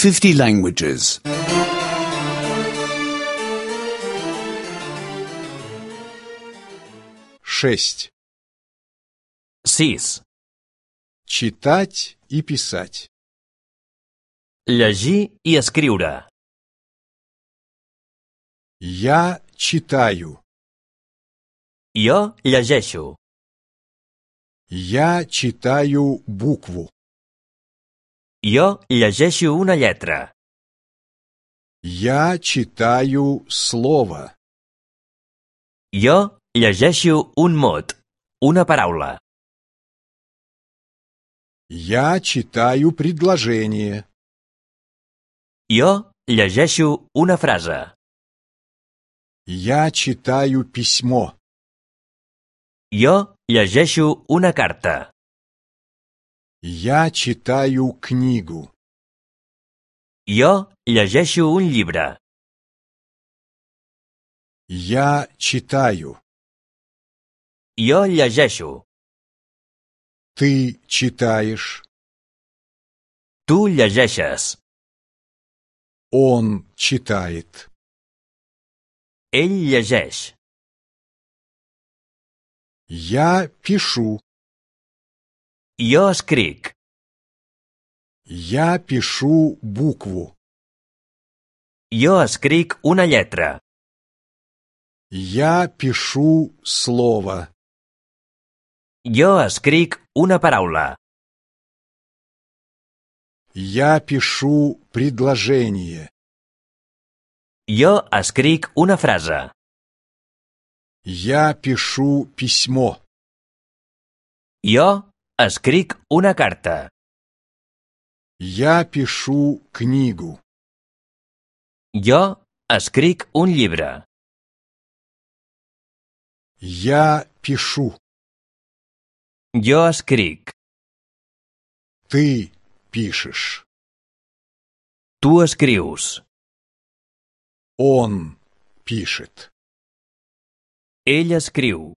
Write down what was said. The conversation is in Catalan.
50 languages. 6. 6. Читать и писать. Llegir i escriure. Я читаю. Jo llegeixo. Я читаю букву. Jo llegeixo una lletra. Я читаю слово. Jo llegeixo un mot, una paraula. Я читаю предложение. Jo llegeixo una frase. Я читаю письмо. Jo llegeixo una carta. Я читаю книгу. Jo llegeixo un llibre. Я читаю. Jo llegeixo. Ты читаешь. Tu llegeixes. Он читает. Ell llegeix. Я пишу. Jo escric. Я пишу букву. Jo escric una lletra. Я пишу слово. Jo escric una paraula. Я пишу предложение. Jo escric una frase. Я пишу письмо. Jo escric una carta. Я пишу книгу. Jo escric un llibre. Я пишу. Jo escric. Ты пишешь. Tu escrius. Он пишет. Ell escriu.